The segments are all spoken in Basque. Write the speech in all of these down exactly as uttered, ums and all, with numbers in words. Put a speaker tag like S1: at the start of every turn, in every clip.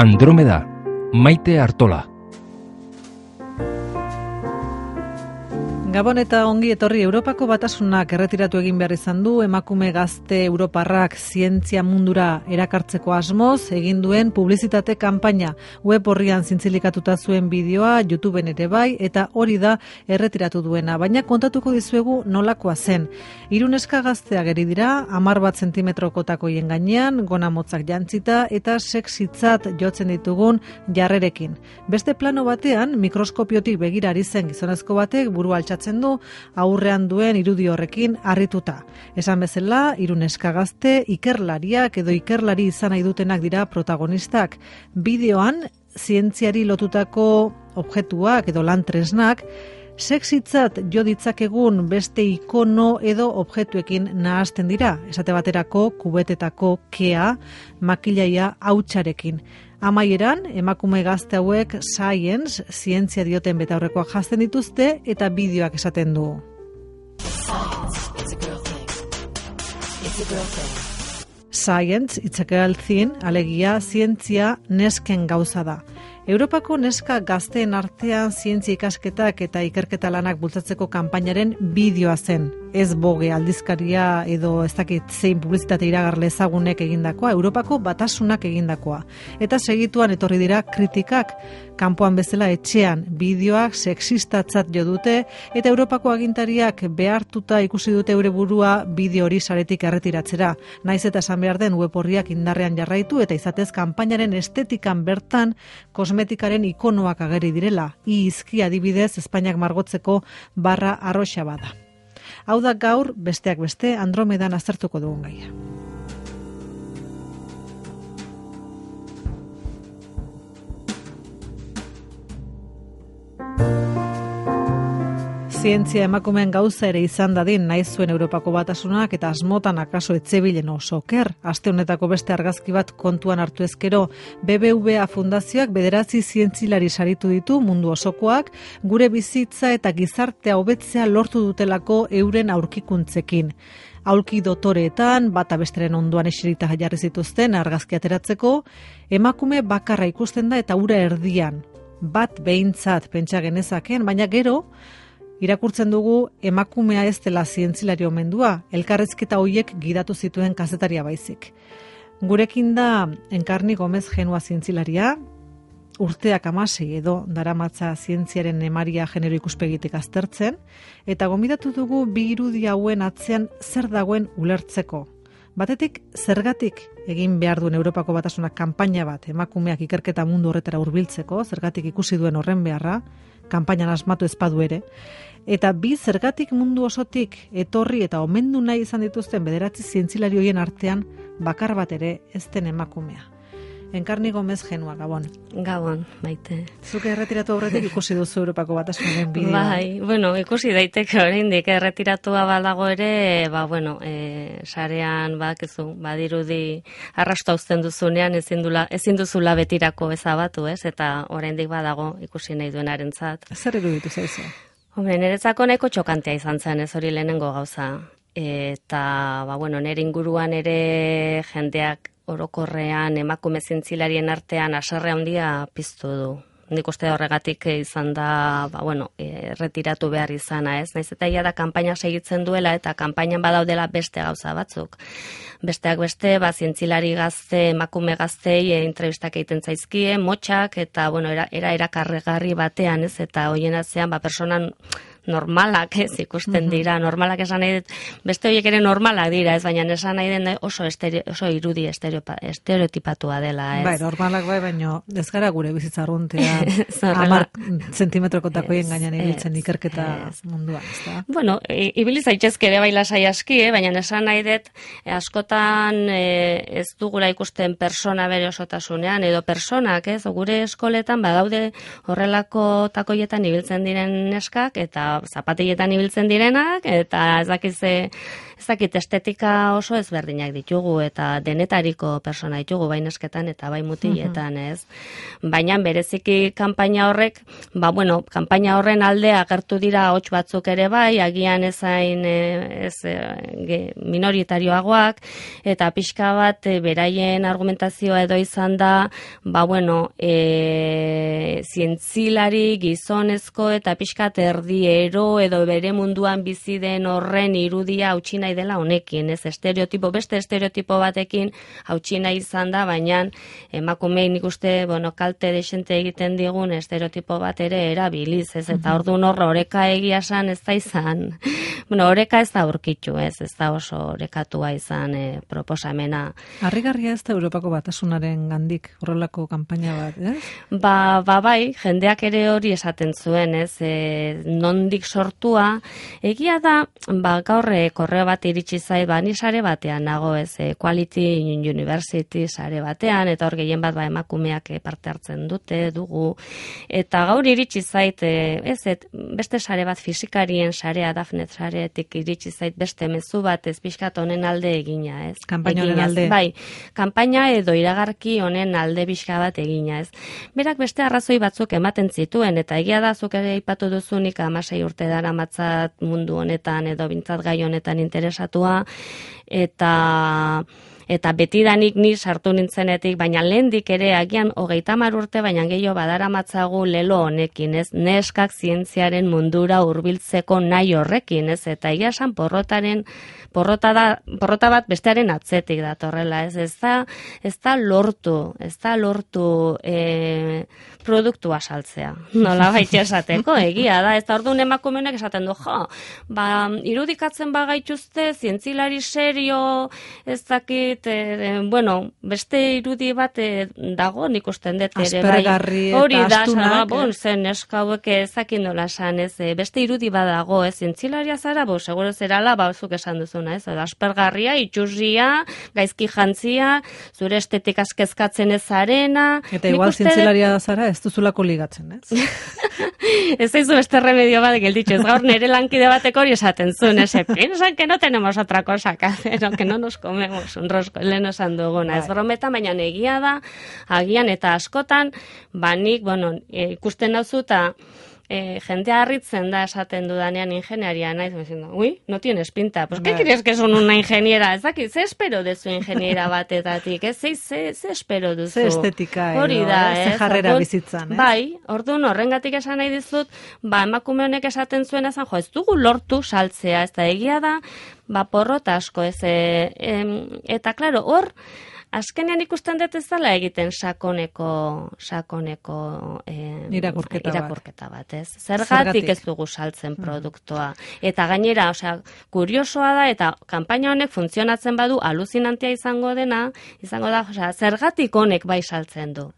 S1: Andromeda, Maite Artola.
S2: Gabon eta ongi etorri. Europako Batasunak erretiratu egin behar izan du emakume gazte europarrak zientzia mundura erakartzeko asmoz egin duen publizitate kanpaina. Web horrian zintzilikatuta zuen bideoa, YouTubeen ere bai, eta hori da erretiratu duena. Baina kontatuko dizuegu nolakoa zen. Hiru neska gaztea geri dira, hamar bat zentimetroko takoien gainean, gona motzak jantzita eta sexitzat jotzen ditugun jarrerekin. Beste plano batean, mikroskopiotik begira ari zen gizonezko batek burua altxatzen du aurrean duen irudi horrekin harrituta. Esan bezala, hiru neska gazte ikerlariak edo ikerlari izan nahi dutenak dira protagonistak. Bideoan, zientziari lotutako objektuak edo lan tresnak sexitzat jo ditzakegun beste ikono edo objektuekin nahasten dira. Esate baterako kubetetako kea, makillaia hautsarekin. Amaieran, emakume gazte hauek science, zientzia dioten betaurrekoak jazten dituzte eta bideoak esaten du. Science, it's a girl thing, alegia zientzia nesken gauza da. Europako neska gazteen artean zientzia ikasketak eta ikerketa lanak bultzatzeko kanpainaren bideoa zen. Ez Vogue aldizkaria edo ez dakit zein publizitate iragarle ezagunek egindakoa, Europako Batasunak egindakoa. Eta segituan etorri dira kritikak, kanpoan bezala etxean bideoak sexistatzat jo dute eta Europako agintariak behartuta ikusi dute eure burua bideo hori saretik erretiratzera. Naiz eta esan behar den web horriak indarrean jarraitu eta izatez kanpainaren estetikan bertan kosmetikaren ikonoak ageri direla. Izki adibidez Espainiak margotzeko barra arroxa bada. Hau da gaur, besteak beste, Andromedan aztertuko dugun gaia. Zientzia emakumeen gauza ere izan dadin nahi zuen Europako Batasunak eta asmotan akaso etzebilen oso oker. Aste honetako beste argazki bat kontuan hartu ezkero, B B V A fundazioak bederatzi zientzilari saritu ditu mundu osokoak, gure bizitza eta gizartea hobetzea lortu dutelako euren aurkikuntzekin. Aulki dotoreetan, bata besteren ondoan eserita jarri zituzten argazki ateratzeko, emakume bakarra ikusten da eta ura erdian. Bat behintzat pentsa genezaken, baina gero, irakurtzen dugu emakumea ez dela zientzilari omendua, elkarrezketa hoiek gidatu zituen kazetaria baizik. Gurekin da Enkarni Gomez Genua zientzilaria, urteak hamasei edo daramatza zientziaren emaria genero ikuspegitik aztertzen, eta gonbidatu dugu bi irudi hauen atzean zer dagoen ulertzeko. Batetik, zergatik egin behar duen Europako Batasunak kanpaina bat emakumeak ikerketa mundu horretara hurbiltzeko, zergatik ikusi duen horren beharra, kanpainan asmatu ezpadu ere, eta bi zergatik mundu osotik etorri eta omendu nahi izan dituzten bederatzi zientzilari horien artean bakar bat ere ez den emakumea. Enkarni Gomez Genua, Gabon.
S3: Gabon, Maite.
S2: Zuke erretiratu aurretik ikusi duzu Europako Batasunaren bideoa.
S3: Bai, bueno, ikusi daiteke oraindik erretiratua badago ere, ba, bueno, e, sarean bakizu, badirudi arrasto uzten duzunean ezin dula, ezin duzula betirako ezabatu, ez? Eta oraindik badago ikusi nahi duenarentzat.
S2: Zer iruditu zaizu?
S3: Hombre, niretzako nahiko txokantea izan zen, ez hori lehenengo gauza. Eta, ba, bueno, nire inguruan ere jendeak orokorrean emakume zientzilarien artean haserre handia piztu du. Nik uste horregatik izan da, ba, bueno, erretiratu behar izana, ez? Naiz eta ia da kanpaina segitzen duela eta kanpainan badaudela beste gauza batzuk. Besteak beste, ba, zientzilari gazte, emakume gaztei e, entrevistak egiten zaizkie, motxak, eta, bueno, era, era erakarregarri batean, ez? Eta hoien atzean, ba, personan normalak ez ikusten dira, normalak esan nahi dut, beste horiek ere normalak dira, ez baina esan nahi den oso, estereo, oso irudi estereotipatua dela, ez?
S2: Bai, normalak bai, baina ez gara gure bizitza arruntea hamar zentimetroko takoien gainean ibiltzen ikerketa munduan, ez da?
S3: Bueno, ibili zaitezke ere bai lasai aski, eh? Baina esan nahi dut, askotan eh, ez dugula ikusten persona bere osotasunean, edo personak, ez? Gure eskoletan badaude horrelako takoietan ibiltzen diren neskak, eta zapatilletan ibiltzen direnak, eta ez dakize ezakit estetika oso ezberdinak ditugu eta denetariko persona ditugu bai nesketan eta bai mutiletan, ez? Baina bereziki kanpaina horrek, ba bueno, kanpaina horren alde agertu dira hots batzuk ere bai, agian ezain ez minoritarioagoak eta pixka bat e, beraien argumentazioa edo izan da, ba bueno, e, zientzilari gizonezko eta pixka erdiero edo bere munduan bizi den horren irudia hautsi nahi dela honekin, ez estereotipo, beste estereotipo batekin hautsi nahi izan da, baina emakumei nik uste, bueno, kalte desente egiten digun estereotipo bat ere erabiliz, ez, eta orduan horra oreka egia esan ez da izan, bueno, oreka ez da aurkitu, ez, ez da oso orekatua izan e, proposamena.
S2: Harrigarria ez da Europako Batasunaren gandik horrelako kanpaina bat, ez?
S3: Ba, ba bai, jendeak ere hori esaten zuen, ez, e, nondik sortua, egia da, ba, gaur korreo bat iritsi zait, ba, ni sare batean nago, ez, Quality University sare batean, eta hor gehien bat ba, emakumeak parte hartzen dute, dugu, eta gaur iritsi zait, ez, et, beste sare bat fizikarien sarea, Dafnet saretik iritsi zait beste mezu bat, ez pixkat honen alde egina, ez.
S2: Kanpaina honen alde.
S3: Bai, kanpaina edo iragarki honen alde pixka bat egina, ez. Berak beste arrazoi batzuk ematen zituen, eta egia da zuk ere aipatu duzunik hamasei urte dara matzat mundu honetan edo bintzat gai honetan interesatua, eta eta betidanik ni sartu nintzenetik, baina lehendik ere agian hogeita hamar urte, baina gehiago badara matzagu lelo honekin, ez, neskak zientziaren mundura hurbiltzeko nahi horrekin, ez, eta egia esan porrotaren Porrota, da, porrota bat bestearen atzetik datorrela, ez, ez da, ez da lortu, ez da lortu e, produktua saltzea, nola baita esateko, egia da, ez da orduan emakumenek esaten du, jo, ba, irudikatzen bagaituzte, zientzilari serio, ez dakit, e, bueno, beste irudi bat e, dago, nik usten dut ere,
S2: aspergarri eta
S3: hori da,
S2: astunak,
S3: ba, bon, zen eskauek ezakin nola esan, ez, e, beste irudi badago, ez, zientzilaria zara, bo, seguro zerala, ba, zuk esan duzu, ez, aspergarria, itxurria, gaizki jantzia, zure estetik askezkatzen ez arena.
S2: Eta igual uste... zientzilaria zara, ez duzulako ligatzen, ez?
S3: Ez zaizu beste remedio bat gelditxu, ez gaur nire lankide batek hori esaten zuen, ez, piensan que no tenemos otra cosa que hacer, que no nos comemos un rosco, lehen esan duguna, ez brometa, baina egia da, agian eta askotan, banik, bueno, ikusten dauzu eta Eh, jentea harritzen da esaten dudanean ingenieria naiz, diciendo, uy, no tienes pinta. Pues, ¿qué crees que son una ingeniera? Ez dakit, ze espero dezu ingeniera batetatik? Ez, ze, ze, ze espero duzu?
S2: Ze estetika edo,
S3: hori da,
S2: ze jarrera bizitzan, ez?
S3: Bai, orduan horrengatik esan nahi dizut, ba, emakume honek esaten zuen ezan, jo, ez dugu lortu saltzea, ez da egia da, ba, porrota asko, ez, e, em, eta, klaro, hor, azkenean ikusten dut ez dela egiten sakoneko sakoneko eh,
S2: irakurketa,
S3: irakurketa bat. bat, ez? Zergatik, Zergatik ez dugu saltzen produktua. Eta gainera, osea, kuriosoa da eta kanpaina honek funtzionatzen badu aluzinantea izango dena, izango da, osea, zergatik honek bai saltzen du.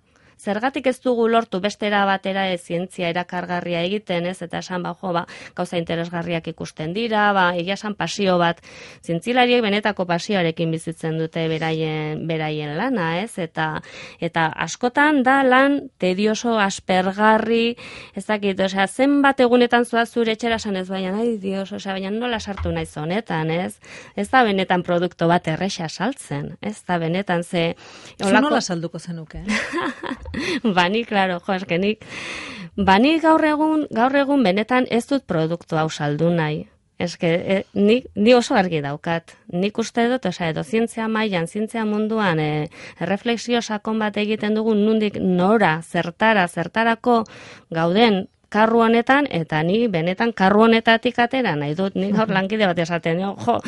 S3: Zergatik ez dugu lortu bestera batera ez zientzia erakargarria egiten, ez, eta esan, ba, jo, ba, gauza interesgarriak ikusten dira, ba, egia esan pasio bat, zientzilariek benetako pasioarekin bizitzen dute beraien, beraien lana, ez, eta, eta askotan da lan tedioso aspergarri, ez dakit, osea, zenbat egunetan zua zure etxera esan ez, baina, ai, dios, osea, baina nola sartu naiz honetan, ez, ez da benetan produktu bat erresa saltzen, ez da benetan ze...
S2: Olako... Zu nola salduko zenuke, eh?
S3: Bani, klaro, jo, eskenik. Bani gaur egun, gaur egun benetan ez dut produktu hau saldu nahi. Eske, e, ni, ni oso argi daukat. Nik uste dut, osea, edo zientzia mailan, zientzia munduan, e, refleksio sakon bat egiten dugun nundik nora, zertara, zertarako gauden karru honetan, eta ni benetan karru honetatik atera nahi dut. Ni gaur lankide bat esaten, jo,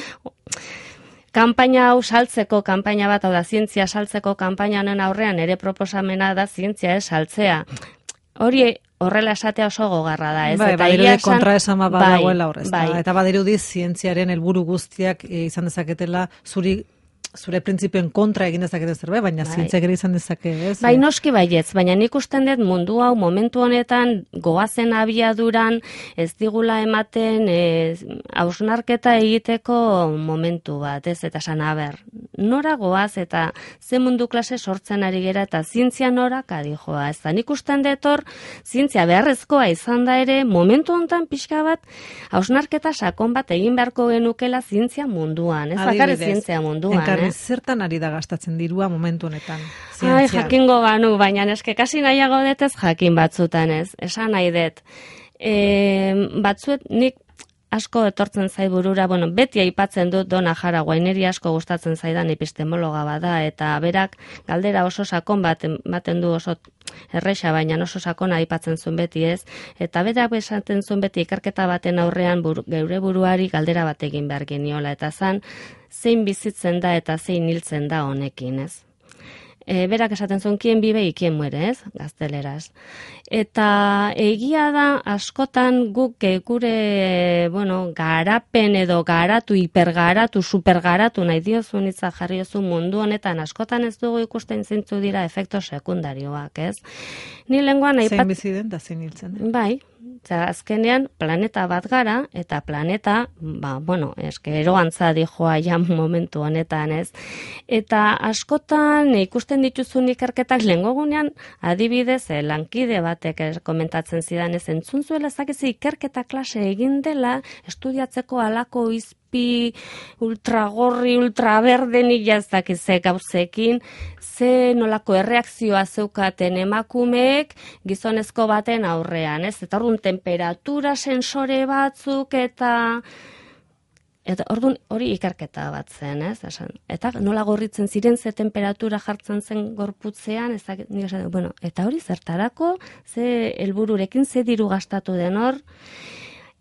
S3: kanpaina hau saltzeko, kanpaina bat, hau da, zientzia saltzeko kanpaina honen aurrean ere proposamena da zientzia ez saltzea. Hori horrela esatea oso gogarra da, ez?
S2: Bai,
S3: eta
S2: badirudi
S3: esan,
S2: kontra esan bat badagoela
S3: bai,
S2: horrez.
S3: Bai.
S2: Eta badirudi zientziaren helburu guztiak izan dezaketela zuri zure printzipioen kontra egin dezakete zerbait, baina
S3: bai.
S2: zientziak ere izan dezake, ez?
S3: Bai, noski baietz, baina nik usten dut mundu hau momentu honetan goazen abiaduran ez digula ematen e, hausnarketa egiteko momentu bat, ez? Eta esan, aber, nora goaz eta ze mundu klase sortzen ari gera eta zientzia nora kadijoa, ez da nik usten dut hor, zientzia beharrezkoa izan da ere, momentu honetan pixka bat hausnarketa sakon bat egin beharko genukela zientzia munduan, ez bakarrik zientzia munduan,
S2: Enkarri,
S3: eh?
S2: zertan ari da gastatzen dirua momentu honetan?
S3: Ai, jakingo banu, baina eske kasi nahiago detez jakin batzutan ez. Esan nahi dut. E, batzuet nik asko etortzen zai burura, bueno, beti aipatzen dut Dona Jara, guaineri asko gustatzen zaidan epistemologa bada, eta berak galdera oso sakon bat ematen du oso erresa, baina oso sakona aipatzen zuen beti ez, eta berak esaten zuen beti ikerketa baten aurrean buru, geure buruari galdera bat egin behar geniola, eta zan, zein bizitzen da eta zein hiltzen da honekin, ez? E, berak esaten zuen, kien bibe y kien muere, ez? Gazteleraz. Eta egia da, askotan guk gure, bueno, garapen edo garatu, hipergaratu, supergaratu, nahi diozun itza jarri ozu mundu honetan, askotan ez dugu ikusten zintzu dira efekto sekundarioak, ez? Ni lenguan aipat...
S2: Zein bizi den da zein hiltzen den.
S3: Bai, eta azkenean planeta bat gara, eta planeta, ba, bueno, eske eroantza dijoa ja momentu honetan, ez? Eta askotan ikusten dituzun ikerketak lehengogunean, adibidez, eh, lankide batek komentatzen zidan ez entzun zuela, zakizi ikerketa klase egin dela, estudiatzeko alako izpi ultragorri, ultraberdenik jaztakize gauzekin, ze nolako erreakzioa zeukaten emakumeek gizonezko baten aurrean, ez? Eta orduan temperatura sensore batzuk eta eta orduan hori ikerketa bat zen, ez? Esan, eta nola gorritzen ziren ze temperatura jartzen zen gorputzean, ez da, bueno, eta hori zertarako, ze helbururekin ze diru gastatu den hor.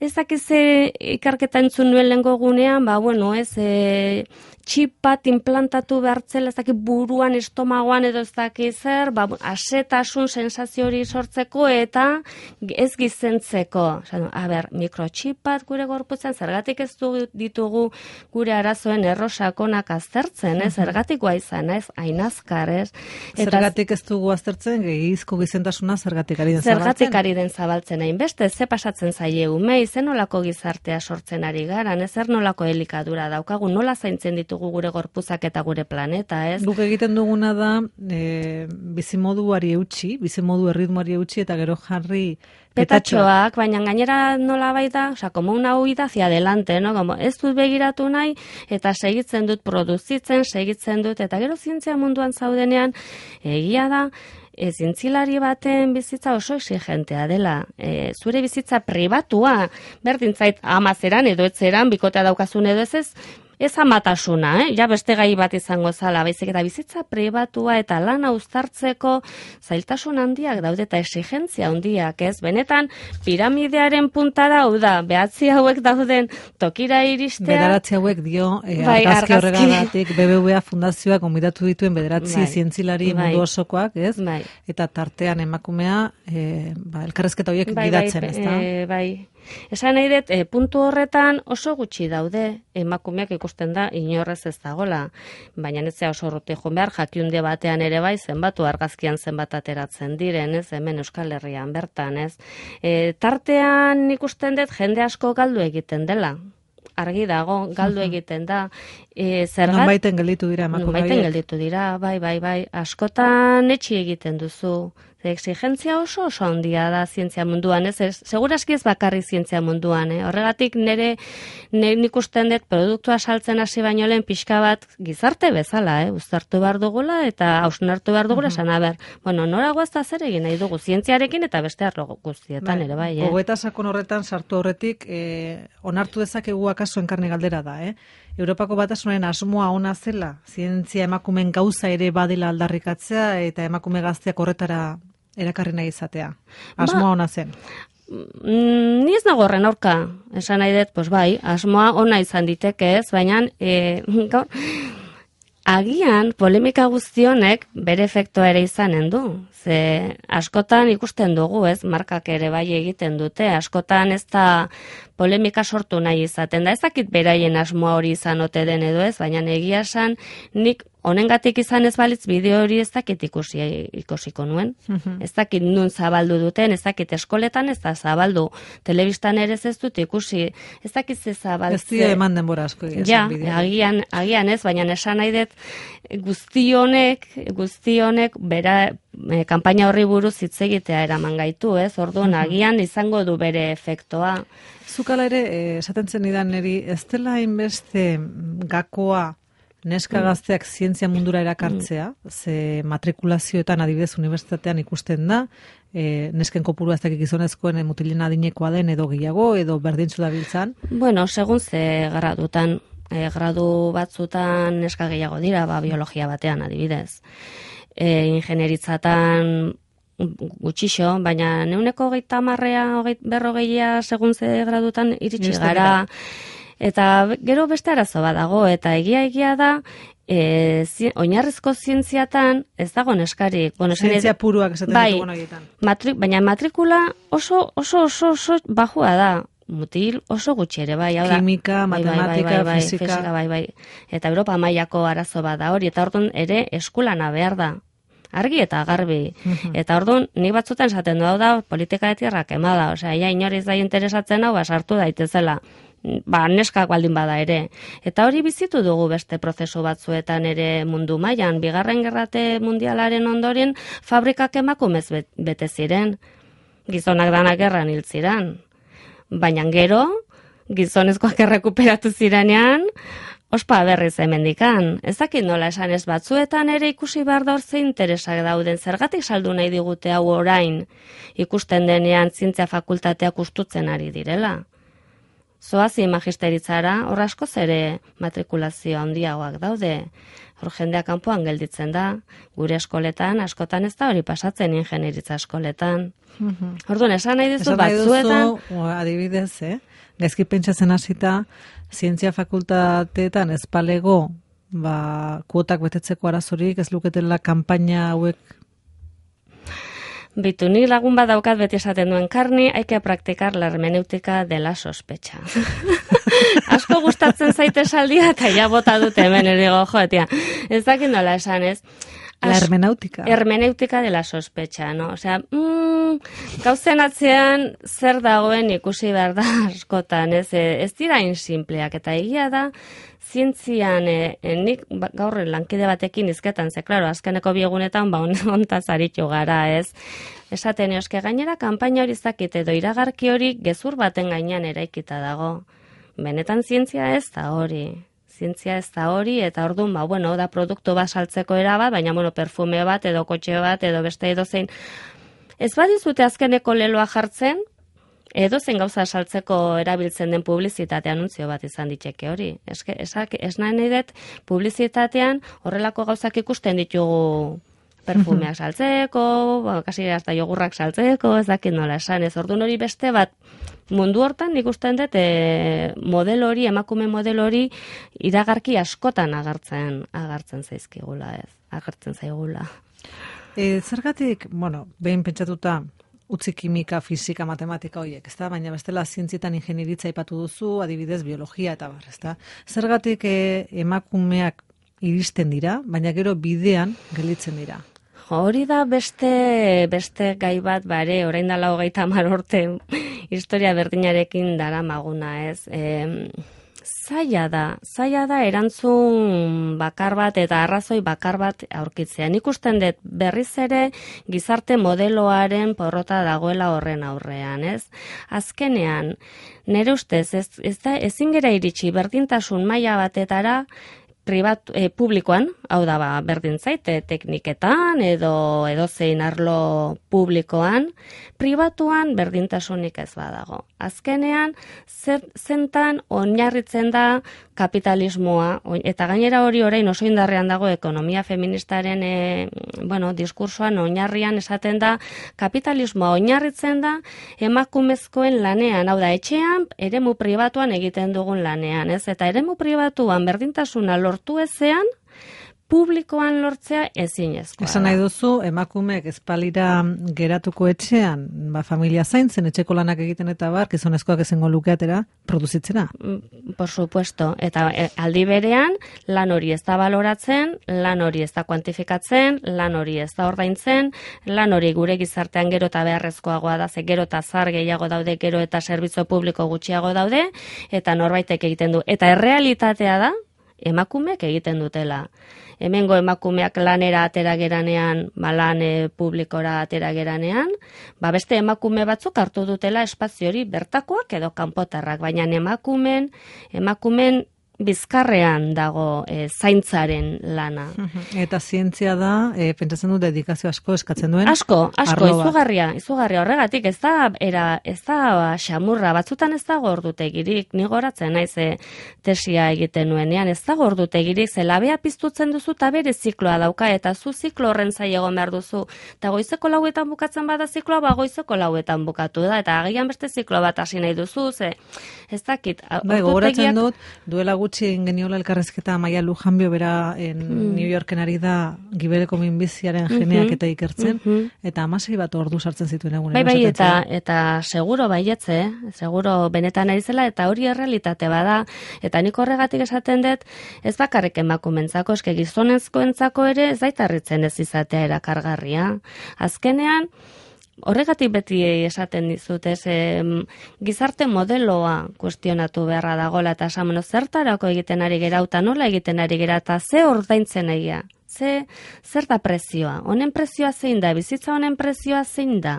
S3: Ez dakiz ikerketa entzun nuen lehengo gunean, ba, bueno, ez, e, txip bat implantatu behartzela, ez dakit buruan, estomagoan edo ez dakit zer, ba, asetasun sensazio hori sortzeko eta ez gizentzeko. Osa, a ber, mikrotxip bat gure gorputzen, zergatik ez du ditugu gure arazoen errosakonak aztertzen, ez, zergatikoa izan, ez, ainazkar, ez. Eta,
S2: zergatik ez dugu aztertzen, gehizko gizentasuna zergatik ari den zabaltzen?
S3: Zergatik ari den zabaltzen, hainbeste, ze pasatzen zaie umei, zer nolako gizartea sortzen ari gara, zer nolako elikadura daukagu, nola zaintzen ditugu gure gorpuzak eta gure planeta, ez?
S2: Guk egiten duguna da e, bizimoduari eutxi, bizimodu erritmoari eutxi eta gero jarri
S3: petatxoak, baina gainera nola baita, oza, como una huida hacia adelante, no? Como ez dut begiratu nahi, eta segitzen dut produzitzen, segitzen dut, eta gero zientzia munduan zaudenean, egia da, E, zientzilari baten bizitza oso exigentea dela. E, zure bizitza pribatua, berdin zait amazeran edo etzeran, bikotea daukazun edo ez ez, ez amatasuna, eh? Ja beste gai bat izango zala, baizik eta bizitza pribatua eta lana uztartzeko zailtasun handiak daude eta exigentzia handiak, ez? Benetan, piramidearen puntara, hau da, behatzi hauek dauden tokira iristea.
S2: Bederatzi hauek dio, e,
S3: bai,
S2: argazki horregagatik B B V A fundazioak gonbidatu dituen bederatzi bai, zientzilari
S3: bai,
S2: mundu osokoak, ez?
S3: Bai.
S2: Eta tartean emakumea, e, ba, elkarrezketa horiek
S3: bai,
S2: gidatzen,
S3: bai,
S2: ez da?
S3: E, bai. Esan nahi dut, e, puntu horretan oso gutxi daude, emakumeak ikusten da, inorrez ez dagola, baina netzea oso urruti joan behar, jakiunde batean ere bai, zenbatu argazkian zenbat ateratzen diren, ez, hemen Euskal Herrian bertan, ez. E, tartean ikusten dut, jende asko galdu egiten dela. Argi dago, galdu egiten da. E, zergat,
S2: Nonbaiten gelditu dira emakume horiek.
S3: Nonbaiten gelditu dira, bai, bai, bai. Askotan etxi egiten duzu. Exigentzia oso oso handia da zientzia munduan, ez? ez Seguraski ez bakarri zientzia munduan, eh? Horregatik nire, nire nik usten dut produktua saltzen hasi baino lehen pixka bat gizarte bezala, eh? Uztartu behar dugula eta hausnartu behar dugula, esan, uh -huh. aber, bueno, nora guazta zer egin nahi dugu, zientziarekin eta beste arlo guztietan ere, bai, eh?
S2: Gogoeta sakon horretan sartu horretik, eh, onartu dezakegu akaso enkarni galdera da, eh? Europako Batasunaren asmoa ona zela, zientzia emakumeen gauza ere badela aldarrikatzea eta emakume gazteak horretara erakarri nahi izatea. Asmoa ba, ona zen.
S3: Mm, ni ez nago horren aurka, esan nahi dut, pues bai, asmoa ona izan diteke ez, baina e, gaur, agian polemika guztionek bere efektua ere izanen du. Ze askotan ikusten dugu, ez, markak ere bai egiten dute, askotan ez da polemika sortu nahi izaten da. Ez dakit beraien asmoa hori izan ote den edo ez, baina egia esan nik honengatik izan ez balitz bideo hori ez dakit ikusi ikusiko nuen. Ez dakit nun zabaldu duten, ez dakit eskoletan ez da zabaldu. Telebistan ere ez dut ikusi, ez dakit ze zabaltze.
S2: Ez dira eman denbora asko.
S3: Ja, agian, agian ez, baina esan nahi dut guzti honek, guzti honek bera e, kanpaina horri buruz hitz egitea eraman gaitu, ez? Orduan agian izango du bere efektoa.
S2: Zukala ere, esaten zen idan niri, ez dela hainbeste gakoa neska gazteak zientzia mundura erakartzea, ze matrikulazioetan adibidez unibertsitatean ikusten da, e, nesken kopurua ez dakik gizonezkoen mutilen adinekoa den edo gehiago, edo berdintzu dabiltzan.
S3: Bueno, segun ze gradutan, e, gradu batzutan neska gehiago dira, ba, biologia batean adibidez. E, ingenieritzatan gutxixo, baina neuneko hogeita hamarrea, berrogeia segun ze gradutan iritsi gara. Eta gero beste arazo bat dago, eta egia egia da, e, zi, oinarrizko zientziatan ez dago neskarik. Bueno,
S2: zientzia puruak esaten
S3: bai,
S2: ditugu nagietan.
S3: Matri, baina matrikula oso oso oso oso bajua da. Mutil oso gutxi ere, bai. Hau da,
S2: kimika,
S3: bai,
S2: matematika,
S3: bai, bai, bai,
S2: fisika.
S3: fisika, bai, bai. Eta Europa mailako arazo bat da hori, eta orduan ere eskulana behar da. Argi eta garbi. Uh-huh. Eta orduan, nik batzutan esaten du hau da, politika de tierra quemada. Osea, ja inoriz da interesatzen hau, sartu daitezela. Ba, neskak baldin bada ere. Eta hori bizitu dugu beste prozesu batzuetan ere mundu mailan. Bigarren gerrate mundialaren ondoren fabrikak emakumez bete ziren. Gizonak danak gerran hil ziren. Baina gero, gizonezkoak errekuperatu zirenean, ospa berriz hemendikan. Ez dakit nola esan ez batzuetan ere ikusi behar da hor ze interesak dauden. Zergatik saldu nahi digute hau orain ikusten denean zientzia fakultateak ustutzen ari direla. Zoazi magisteritzara, hor askoz ere matrikulazio handiagoak daude. Hor jendea kanpoan gelditzen da, gure eskoletan, askotan ez da hori pasatzen ingenieritza eskoletan. Uh-huh. Orduan, esan nahi dizu batzuetan...
S2: Duzu, adibidez, eh? Gaizki pentsatzen hasita, zientzia fakultateetan ez palego, ba, kuotak betetzeko arazorik, ez luketela kanpaina hauek...
S3: Bitu, ni lagun bat daukat beti esaten duen Karni, hay que practicar la hermenéutica de la sospecha. Asko gustatzen zaite saldia, eta ja bota dute hemen, erigo, jo, tia, ez dakit nola esan, ez?
S2: As, la hermenéutica.
S3: Hermenéutica de la sospecha, no? Osea, mm, gauzen atzean zer dagoen ikusi behar da askotan, ez? Ez dira insimpleak, eta egia da, zientzian, e, e, nik gaur lankide batekin izketan, ze, klaro, azkeneko biegunetan, ba, ontaz aritu gara, ez? Esaten eoske gainera, kanpaina hori zakit edo iragarki hori gezur baten gainean eraikita dago. Benetan zientzia ez da hori. Zientzia ez da hori, eta orduan, ba, bueno, da produktu bat saltzeko era bat, baina, bueno, perfume bat, edo kotxe bat, edo beste edo zein. Ez badizute azkeneko leloa jartzen, edo zen gauza saltzeko erabiltzen den publizitate anuntzio bat izan diteke hori. Eske, esak, ez nahi nahi dut, publizitatean horrelako gauzak ikusten ditugu perfumeak saltzeko, ba, kasi hasta jogurrak saltzeko, ez dakit nola esan, ez orduan hori beste bat, mundu hortan ikusten dut e, model hori, emakume model hori iragarki askotan agertzen, agertzen zaizkigula, ez, agertzen zaigula.
S2: E, zergatik, bueno, behin pentsatuta, utzi kimika, fisika, matematika horiek, ezta? Baina bestela zientzietan ingenieritza aipatu duzu, adibidez biologia eta bar, ezta? Zergatik e, emakumeak iristen dira, baina gero bidean gelditzen dira.
S3: Hori da beste beste gai bat bare, orain dela hogeita hamar urte historia berdinarekin daramaguna, ez? E, zaila da, zaila da erantzun bakar bat eta arrazoi bakar bat aurkitzea. Nik usten dut berriz ere gizarte modeloaren porrota dagoela horren aurrean, ez? Azkenean, nire ustez, ez, ez da, ezin gera iritsi berdintasun maila batetara, pribat, e, publikoan, hau da ba, berdin zaite, tekniketan edo edozein arlo publikoan, pribatuan berdintasunik ez badago. Azkenean, zer, zentan oinarritzen da kapitalismoa, eta gainera hori orain oso indarrean dago ekonomia feministaren e, bueno, diskursoan oinarrian esaten da, kapitalismoa oinarritzen da emakumezkoen lanean, hau da etxean, eremu pribatuan egiten dugun lanean, ez? Eta eremu pribatuan berdintasuna lortu ezean, publikoan lortzea ezinezkoa.
S2: Esan nahi duzu, emakumeek ezpalira geratuko etxean, ba, familia zaintzen, etxeko lanak egiten eta bar, gizonezkoak ezengo lukeatera, produzitzera.
S3: Por supuesto, eta aldi berean, lan hori ez da baloratzen, lan hori ez da kuantifikatzen, lan hori ez da ordaintzen, lan hori gure gizartean gero eta beharrezkoagoa da, ze gero eta zar gehiago daude, gero eta zerbitzu publiko gutxiago daude, eta norbaitek egiten du. Eta errealitatea da, emakumeek egiten dutela. Hemengo emakumeak lanera atera geranean, ba, lan e, publikora atera geranean, ba, beste emakume batzuk hartu dutela espazio hori bertakoak edo kanpotarrak, baina emakumen, emakumen bizkarrean dago e, zaintzaren lana.
S2: Eta zientzia da, e, pentsatzen du dedikazio asko eskatzen duen.
S3: Asko, asko, izugarria, izugarria horregatik, ez da, era, ez da xamurra, batzutan ez da gordutegirik, ni goratzen naiz e, tesia egiten nuenean, ez da gordutegirik, ze labea piztutzen duzu eta bere zikloa dauka, eta zu ziklo horren zai egon behar duzu, eta goizeko lauetan bukatzen bada zikloa, ba goizeko lauetan bukatu da, eta agian beste ziklo bat hasi nahi duzu, ze ez dakit.
S2: Bai, gogoratzen dut, duela gutxi geniola elkarrezketa Maia Lujanbio bera en mm. New Yorken ari da gibeleko minbiziaren geneak eta ikertzen, mm-hmm. eta amasei bat ordu sartzen zituen egunen.
S3: Bai, bai, eta, eta seguro baietze, seguro benetan ari zela, eta hori errealitate bada, eta nik horregatik esaten dut, ez bakarrik emakumentzako, eske gizonezkoentzako ere ez daitarritzen ez izatea erakargarria. Azkenean, horregatik beti esaten dizut, ez, em, gizarte modeloa kuestionatu beharra dagoela, eta esan, zertarako egiten ari gera, eta nola egiten ari gera, eta ze ordaintzen egia, ze, zer da prezioa, honen prezioa zein da, bizitza honen prezioa zein da,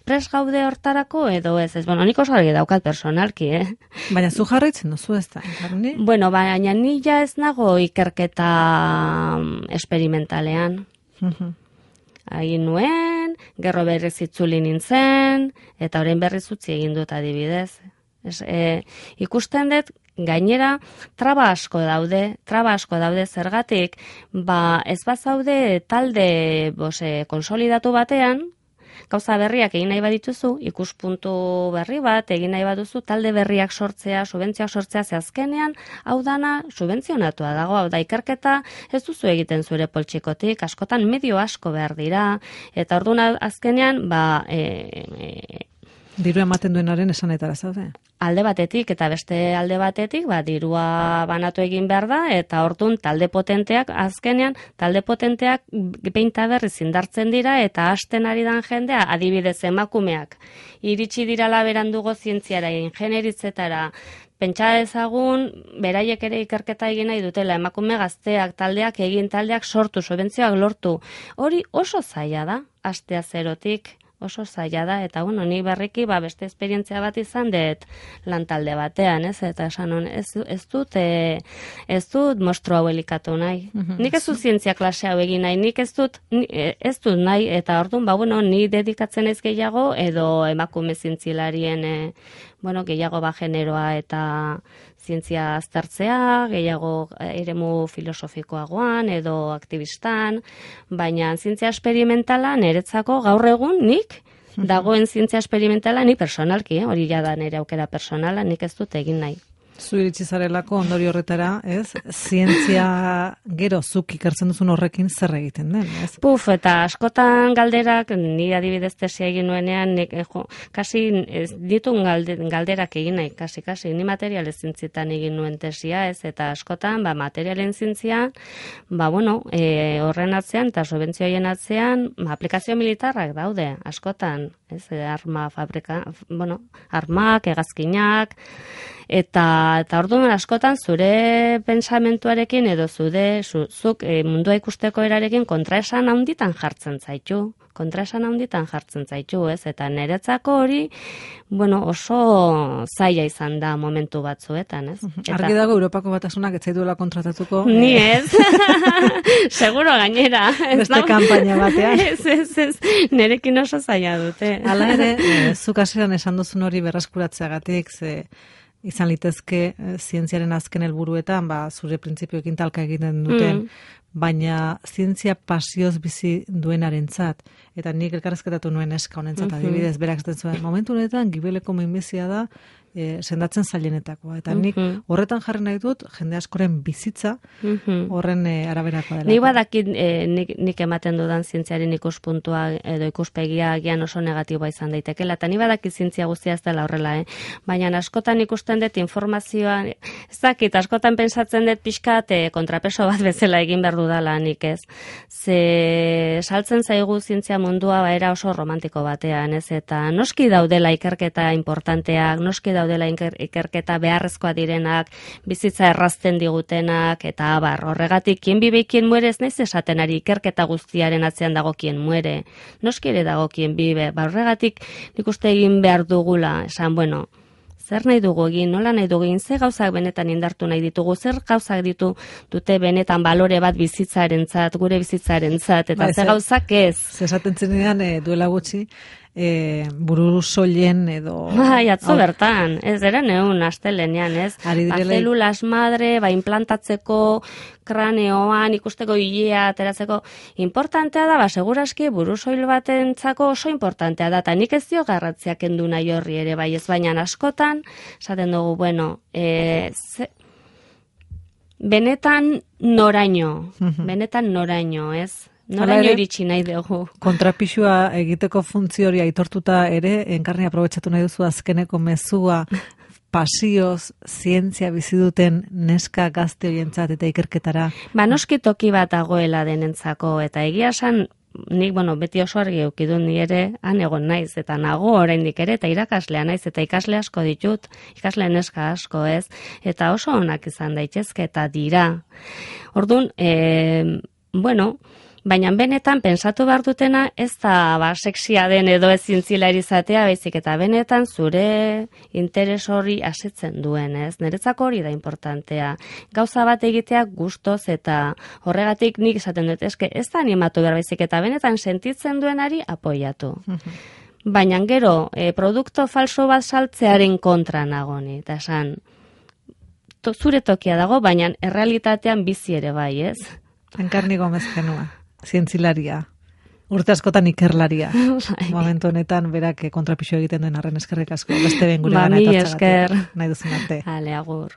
S3: pres gaude hortarako edo ez, ez, bueno, nik oso argi daukat personalki, eh?
S2: Baina zu jarraitzen duzu ez da, jarri?
S3: Bueno, baina ni ja ez nago ikerketa esperimentalean. Egin nuen, gerro berriz itzuli nintzen, eta orain berriz utzi egin dut adibidez. Es, e, ikusten dut, gainera, traba asko daude, traba asko daude zergatik, ba, ez bazaude talde bose, konsolidatu batean, gauza berriak egin nahi badituzu, ikuspuntu berri bat, egin nahi baduzu, talde berriak sortzea, subentzioak sortzea, ze azkenean, hau dana subentzionatua dago, hau da ikerketa ez duzu egiten zure poltsikotik, askotan medio asko behar dira, eta orduan azkenean, ba, e, e,
S2: diru ematen duenaren esanetara zaude.
S3: Alde batetik eta beste alde batetik, ba, dirua banatu egin behar da, eta orduan talde potenteak, azkenean, talde potenteak behinta berriz indartzen dira, eta hasten ari dan jendea, adibidez emakumeak, iritsi dirala berandugo zientziara, ingenieritzetara, pentsa ezagun, beraiek ere ikerketa egin nahi dutela, emakume gazteak, taldeak egin, taldeak sortu, subentzioak lortu. Hori oso zaila da, hastea zerotik. Oso zaila da, eta bueno, ni berriki ba, beste esperientzia bat izan dut lantalde batean, ez? Eta esan hon, ez, ez dut e, ez dut mostro hau elikatu nahi. Mm-hmm. Nik ez dut zientzia klase hau egin nahi, nik ez dut, ez dut nahi, eta orduan, ba, bueno, ni dedikatzen ez gehiago, edo emakume zientzilarien, e, bueno, gehiago ba generoa eta zientzia aztertzea, gehiago eremu filosofikoagoan edo aktivistan, baina zientzia esperimentala niretzako gaur egun nik, dagoen zientzia esperimentala ni personalki, hori ja da nire aukera personala, nik ez dut egin nahi.
S2: Zu iritsi zarelako ondori horretara, ez? Zientzia gero zuk ikertzen duzun horrekin zer egiten den, ez?
S3: Puf, eta askotan galderak, ni adibidez tesia egin nuenean, nik, jo, kasi ez, ditun galde, galderak egin nahi, kasi, kasi, ni materialen zintzietan egin nuen tesia, ez? Eta askotan, ba, materialen zintzian, ba, bueno, e, horren atzean, eta subentzioen atzean, ba, aplikazio militarrak daude, askotan, ez? Arma fabrika, bueno, armak, hegazkinak, eta eta orduan askotan zure pentsamentuarekin edo zude zu, zuk e, mundua ikusteko erarekin kontraesan handitan jartzen zaitu, kontraesan handitan jartzen zaitu, ez? Eta niretzako hori, bueno, oso zaila izan da momentu batzuetan, ez? Eta,
S2: argi dago Europako Batasunak ez zaituela kontratatuko.
S3: Ni ez. Seguro gainera.
S2: Beste kanpaina batean.
S3: Ez, ez, ez. Nerekin oso zaila dute.
S2: Hala ere, e, zuk hasieran esan duzun hori berreskuratzeagatik, ze izan litezke e, zientziaren azken helburuetan, ba, zure printzipioekin talka egiten duten, mm. baina zientzia pasioz bizi duenarentzat, eta nik elkarrezketatu nuen eska honentzat, mm-hmm. adibidez, berak zaten zuen, momentu honetan, gibeleko minbizia da, e, sendatzen zailenetakoa. Eta nik
S3: Mhm.
S2: horretan jarri nahi dut, jende askoren bizitza
S3: Mhm.
S2: horren e, araberakoa dela.
S3: Nik badakit eh, nik, nik ematen dudan zientziaren ikuspuntua edo ikuspegia agian oso negatiboa izan daitekela, eta ni badakit zientzia guztia ez dela horrela, eh? Baina askotan ikusten dut informazioa, ez dakit, askotan pentsatzen dut pixkat eh, kontrapeso bat bezala egin behar dudala nik ez. Ze saltzen zaigu zientzia mundua baera oso romantiko batean, ez? Eta noski daudela ikerketa importanteak, noski daudela iker, ikerketa beharrezkoa direnak, bizitza errazten digutenak, eta abar, horregatik, kien bibe, kien muere, ez naiz esaten ari ikerketa guztiaren atzean dago kien muere, noski ere dago kien bibe, ba horregatik nik uste egin behar dugula, esan, bueno, zer nahi dugu egin, nola nahi dugu egin, ze gauzak benetan indartu nahi ditugu, zer gauzak ditu dute benetan balore bat bizitzarentzat, gure bizitzarentzat, eta
S2: Bai,
S3: ze
S2: ze-
S3: gauzak ez.
S2: Zesaten zenean e, duela gutxi, e, buru soilen edo...
S3: Bai, atzo
S2: hau-
S3: bertan, ez eren egun astelenean, ez?
S2: Ari
S3: Ba,
S2: direla-
S3: zelulas madre, ba, implantatzeko kraneoan, ikusteko hilea, ateratzeko, importantea da, ba, seguraski burusoil batentzako oso importantea da, eta nik ez dio garratzia kendu nahi horri ere, bai, ez baina askotan, esaten dugu, bueno, e, ze, benetan noraino,
S2: Mhm.
S3: benetan noraino, ez?
S2: Hala
S3: Noraino
S2: ere-
S3: iritsi nahi dugu.
S2: Kontrapixua egiteko funtzio hori aitortuta ere, enkarni aprobetxatu nahi duzu azkeneko mezua, pasioz, zientzia bizi duten neska gazte horientzat eta ikerketara.
S3: Ba, noski toki bat dagoela denentzako, eta egia esan, nik, bueno, beti oso argi eukidun ni ere, han egon naiz, eta nago oraindik ere, eta irakaslea naiz, eta ikasle asko ditut, ikasle neska asko ez, eta oso onak izan daitezke, eta dira. Orduan, e, bueno, baina benetan pensatu behar dutena ez da ba, sexia den edo ez zintzilari izatea, baizik eta benetan zure interes hori asetzen duen, ez? Niretzako hori da importantea. Gauza bat egitea gustoz eta horregatik nik esaten dut, eske ez da animatu behar baizik eta benetan sentitzen duenari apoiatu. Baina gero, e, produkto falso bat saltzearen kontra nagoni, eta esan, to, zure tokia dago, baina errealitatean bizi ere bai, ez?
S2: Enkarni Gomez genua, zientzilaria. Urte askotan ikerlaria. Momentu honetan berak kontrapixo egiten duen arren eskerrik asko. Beste ben gure
S3: Ba,
S2: gana
S3: mila
S2: etortzeagatik.
S3: esker.
S2: Nahi duzun arte.
S3: Ale, agur.